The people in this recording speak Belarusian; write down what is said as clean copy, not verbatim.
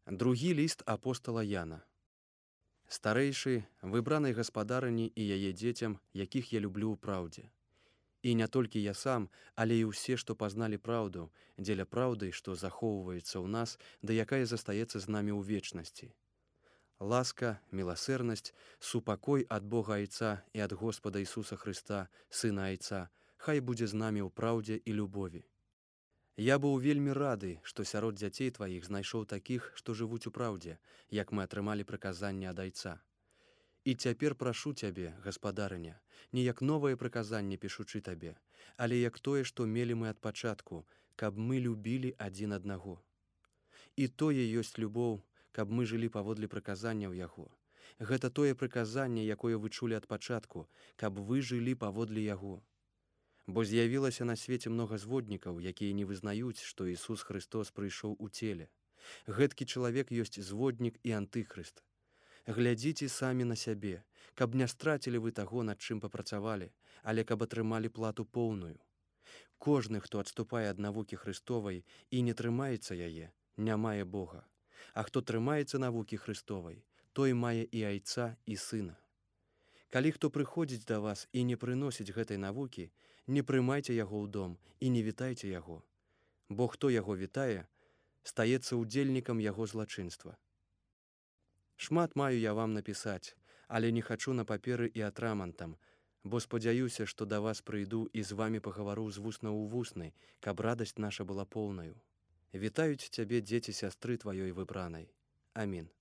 Другі ліст апостала Яна. Старэйшы, выбранай гаспадарыні і яе дзецям, якіх я люблю ў праўдзе. І не толькі я сам, але і ўсе, што пазналі праўду, дзеля праўды, што захоўваецца ў нас, да якая застаецца з намі ў вечнасці. Ласка, міласэрнасць, супакой ад Бога Айца і ад Господа Ісуса Хрыста, Сына Айца, хай будзе з намі ў праўдзе і любові. Я быў вельмі рады, што сярод дзяцей тваіх знайшоў такіх, што жывуць у праўдзе, як мы атрымалі прыказанне ад Айца. І цяпер прашу цябе, гаспадарыня, не як новае прыказанне пішучы табе, але як тое, што мелі мы ад пачатку, каб мы любілі адзін аднаго. І тое ёсць любоў, каб мы жылі паводле прыказанняў яго. Гэта тое прыказанне, якое вы чулі ад пачатку, каб вы жылі паводле яго. Бо з'явілася на свеце многа зводнікаў, якія не вызнаюць, што Ісус Хрыстос прыйшоў у целе. Гэткі чалавек ёсць зводнік і антыхрыст. Глядзіце самі на сябе, каб не страцілі вы таго, над чым папрацавалі, але каб атрымалі плату поўную. Кожны, хто адступае ад навукі Хрыстовай і не трымаецца яе, не мае Бога. А хто трымаецца навукі Хрыстовай, той мае і Айца, і Сына. Калі хто прыходзіць да вас і не прыносіць гэтай навукі, не прымайце яго ў дом і не вітайце яго. Бо хто яго вітае, стаецца ўдзельнікам яго злачынства. Шмат маю я вам напісаць, але не хачу на паперы і атрамантам, бо спадзяюся, што да вас прыйду і з вамі пагавару з вусна ў вусны, каб радасць наша была поўнаю. Вітаюць цябе дзеці сястры тваёй выбранай. Амін.